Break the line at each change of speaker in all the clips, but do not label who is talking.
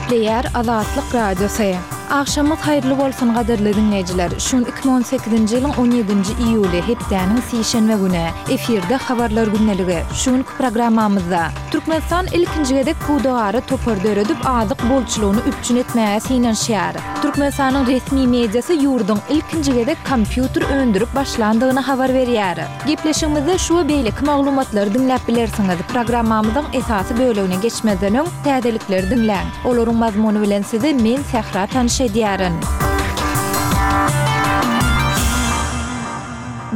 Gepleýär Azatlyk Radiosy. Agşamyňyz haýyrly bolsun gadyrly diňleýjiler. Şu gün 2018-nji ýylyň 17-nji iýuly, hepdäniň sişenbe güni. Efirde Habarlar gündeligi. Şu günki programmamyzda. Türkmenistan ilkinji gezek pudagara topar döredip, azyk bolçulygyny üpjün etmäge synanyşýar. Türkmenistanyň resmi mediasy ýurduň ilkinji gezek kompýuter öndürip başlandygyny habar berýär. Gepleşigimizde şu we beýleki maglumatlary diňläp bilersiňiz. Programmamyzyň esasy bölegine geçmezden öň, täzelikleri diňläň. Olaryň mazmuny bilen sizi men Sähra tanyş edýärin.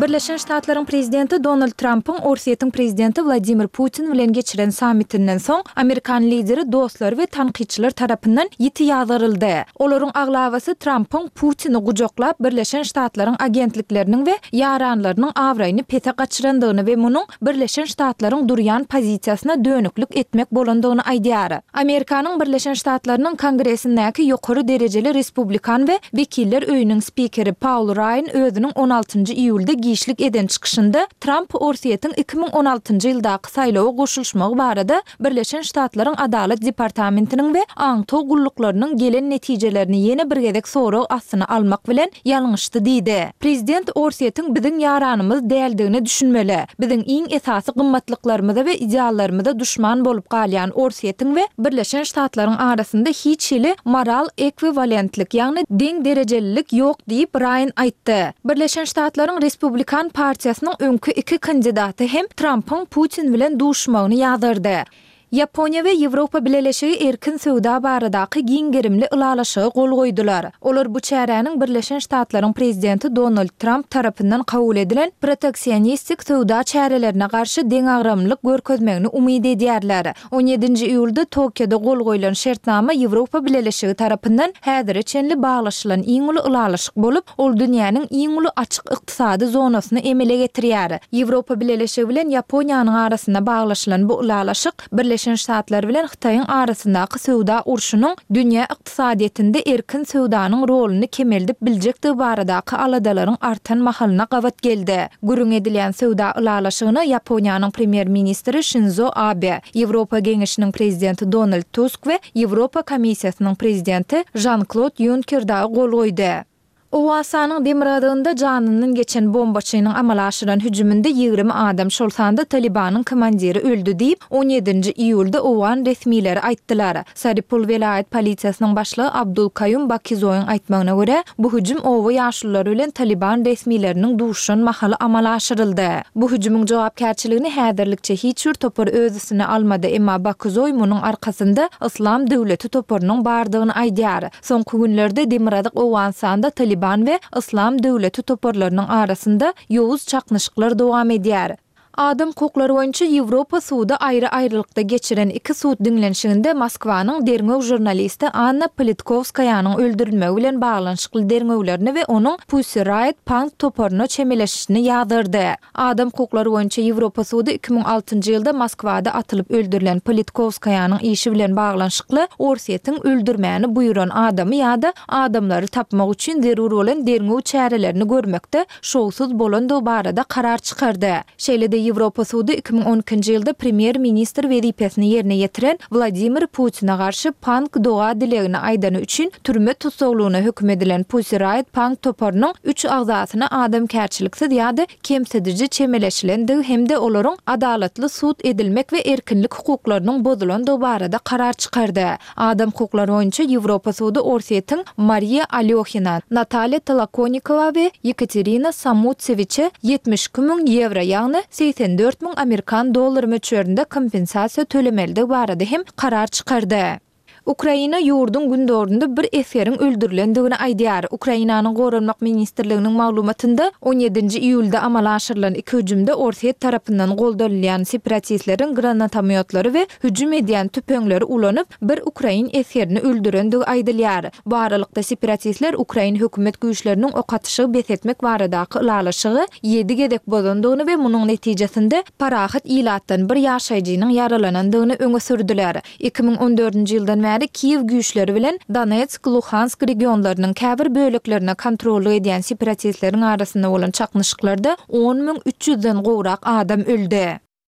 Birleşen Ştatlaryň Prezidenti Donald Trampyň Orsýetiň Prezidenti Wladimir Putin bilen geçiren sammitinden soň, amerikan lideri dostlary we tankytçylar tarapyndan ýiti ýazgaryldy. Olaryň aglabasy Trampyň Putini gujaklap, Birleşen Ştatlaryň agentlikleriniň we ýaranlarynyň abraýyny pese gaçyrandygyny we munuň Birleşen Ştatlaryň durýan pozisiýasyna dönüklik etmek bolandygyny aýdýar. Amerikanyň Birleşen Ştatlarynyň Kongresindäki ýokary derejeli respublikan we Wekiller öýüniň spikeri Paul Raýan özüniň on altynjy iýulda giçlik eden çykyşynda Tramp Orsýetiň 2016-njy ýyldaky saýlawa goşulyşmagy barada Birleşen Ştatlaryň Adalat departamentiniň we aňtaw gulluklarynyň gelen netijelerini ýene bir gezek sorag astyna almak bilen ýalňyşdy diýdi. Prezident Orsýetiň biziň ýaranymyz däldigine düşünmeli. Biziň iň esasy gymmatlyklarymyza we ideallarymyza duşman bolup galýan Orsýetiň we Birleşen Ştatlaryň arasynda hiç hili moral ekwiwalentlik, ýagny deň derejelilik ýok diýip, Raýan aýtdy. Birleşen Ştatlaryň Respublikan partiýasynyň öňki iki kandidaty hem Trampyň Putin bilen duşmagyny ýazgardy. Ýaponiýa we Ýewropa Bileleşigi erkin söwda baradaky giň gerimli ylalaşyga gol goýdular. Olar bu çäräniň Birleşen Ştatlaryň prezidenti Donald Tramp tarapyndan kabul edilen proteksionistik söwda çärelerine garşy deňagramlylyk görkezmegini umyt edýärler. On ýedinji iýulda Tokioda gol goýlan şertnama Ýewropa Bileleşigi tarapyndan häzire çenli baglaşylan iň uly ylalaşyk bolup, ol dünýäniň iň uly açyk ykdysady zonasyny emele getirýär. Ýewropa Bileleşigi bilen Ýaponiýanyň arasynda baglaşylan bu ylalaşyk Birleşen Ştatlar bilen Hytaýyň arasyndaky söwda urşunyň dünýä ykdysadyýetinde erkin söwdanyň roluny kemeldip biljekdigi baradaky aladalaryň artan mahalyna gabat geldi. Gürrüň edilýän söwda ylalaşygyna Ýaponiýanyň premýer-ministri Şinzo Abe, Ýewropa Geňeşiniň prezidenti Donald Tusk we Ýewropa Komissiýasynyň prezidenti Žan-Klod Ýunker dagy gol goýdy. Owganystanyň demirgazygynda janyndan geçen bombaçynyň amala aşyran hüjüminde 20 adam, şol sanda Talybanyň komandiri öldi diýip, on ýedinji iýulda owgan resmileri aýtdylar. Saripul welaýat polisiýasynyň başlygy Abdul Kaýum Bakizoýyň aýtmagyna görä, bu hüjüm oba ýaşululary bilen Talyban resmileriniň duşuşan mahaly amala aşyryldy. Bu hüjümiň jogapkärçiligini häzirlikçe hiç bir topar öz üstüne almady, emma Bakizoý munuň arkasynda Yslam döwleti toparynyň bardygyny aýdýar. Soňky günlerde demirgazyk Owganystanda Talyban we Yslam döwleti toparlarynyň arasynda ýowuz çaknyşyklar dowam edýär. Adam hukuklary boýunça Ýewropa sudy aýry-aýrylykda geçiren iki sud diňlenişiginde Moskwanyň derňew žurnalisti Anna Politkowskaýanyň öldürilmegi bilen baglanyşykly derňewlerini we onuň Pussy Riot punk toparyna çemeleşişini ýazgardy. Adam hukuklary boýunça Ýewropa sudy 2006-njy ýylda Moskwada atylyp öldürilen Politkowskaýanyň işi bilen baglanyşykly Orsýetiň öldürmäni buýran adamy ýa-da adamlary tapmak üçin zerur bolan derňew çärelerini görmekde şowsuz bolandygy barada karar çykardy. Şeýle-de Ýewropa sudy 2012-nji ýylda premýer-ministr wezipesini ýerine ýetiren Wladimir Putine garşy punk doga-dilegini aýdany üçin türme tussaglygyna höküm edilen Pussy Riot punk toparynyň üç agzasyna adamkärçiliksiz ýa-da kemsidiji çemeleşilendigi hem-de olaryň adalatly sud edilmek we erkinlik hukuklarynyň bozulandygy barada karar çykardy. Adam hukuklary boýunça Ýewropa sudy Orsýetiň Mariýa Alýohina, Natalýa Tolokonikowa we Ýekaterina Samutsewiçe 72 müň ýewro, ýagny 84 müň amerikan dollary möçberinde kompensasiýa tölemelidigi barada hem karar çykardy. Ukraina ýurduň gündogarynda bir esgeriň öldürilendigini aýdýar. Ukrainanyň Goranmak ministrliginiň maglumatynda, on ýedinji iýulda amala aşyrylan iki hüjümde Orsýet tarapyndan goldanylýan separatistleriň granatomýotlary we hüjüm edýän tüpeňleri ulanyp, bir ukrain esgerini öldürendigi aýdylýar. Bu aralykda, separatistler ukrain hökümet güýçleriniň ok atyşygy bes etmek baradaky ylalaşygy ýedi gezek bozandygyny we munuň netijesinde parahat ilatdan bir ýaşaýjynyň ýaralanandygyny öňe sürdüler. 2014-nji ýyldan bäri Kiýew güýçleri bilen Donetsk, Luhansk regionlarynyň käbir böleklerine kontrollyk edýän separatistleriň arasynda bolan çaknyşyklarda 10 300-den gowrak adam öldi.